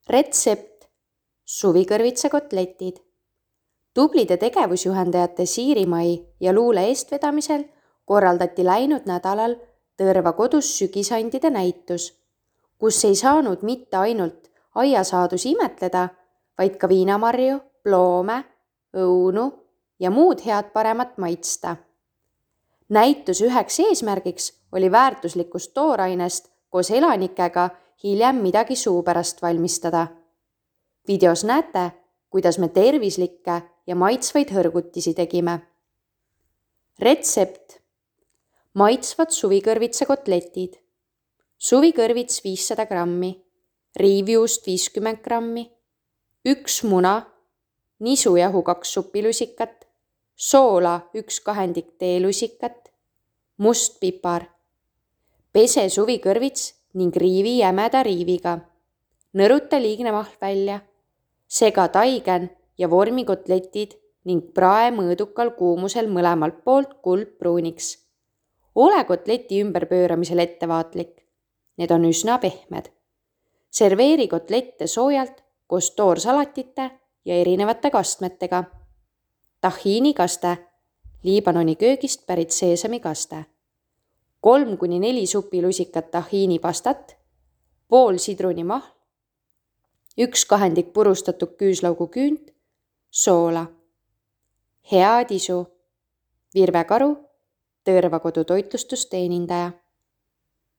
Retsept: suvikõrvitsakotletid. Tublide tegevusjuhendajate Siirimai ja Luule eestvedamisel korraldati läinud nädalal Tõrva kodus sügisandide näitus, kus ei saanud mitte ainult aiasaadusi imetleda, vaid ka viinamarju, ploome, õunu ja muud head paremat maitsta. Näituse üheks eesmärgiks oli väärtuslikust toorainest koos elanikega hiljem midagi suupärast valmistada. Videos näete, kuidas me tervislikke ja maitsvaid hõrgutisi tegime. Retsept: maitsvad suvikõrvitsakotletid. Suvikõrvits 500 grammi, riivjuust 50 grammi, 1 muna, nisujahu 2 supilusikat, soola 1 kahendik teelusikat, must pipar. Pese suvikõrvits ning riivi jämeda riiviga. Nõruta liigne mahl välja. Sega taigen ja vormi kotletid ning prae mõõdukal kuumusel mõlemalt poolt kuldpruuniks. Ole kotleti ümberpööramisel ettevaatlik. Need on üsna pehmed. Serveeri kotlette soojalt koos toorsalatite ja erinevate kastmetega. Tahiinikaste, Liibanoni köögist pärit seesamikaste. 3-4 supilusikat tahiinipastat, pool sidrunimahl, 1 kahendik purustatud küüslaugu küünt, soola. Head isu. Virve Karu, Tõrva kodu toitlustusteenindaja.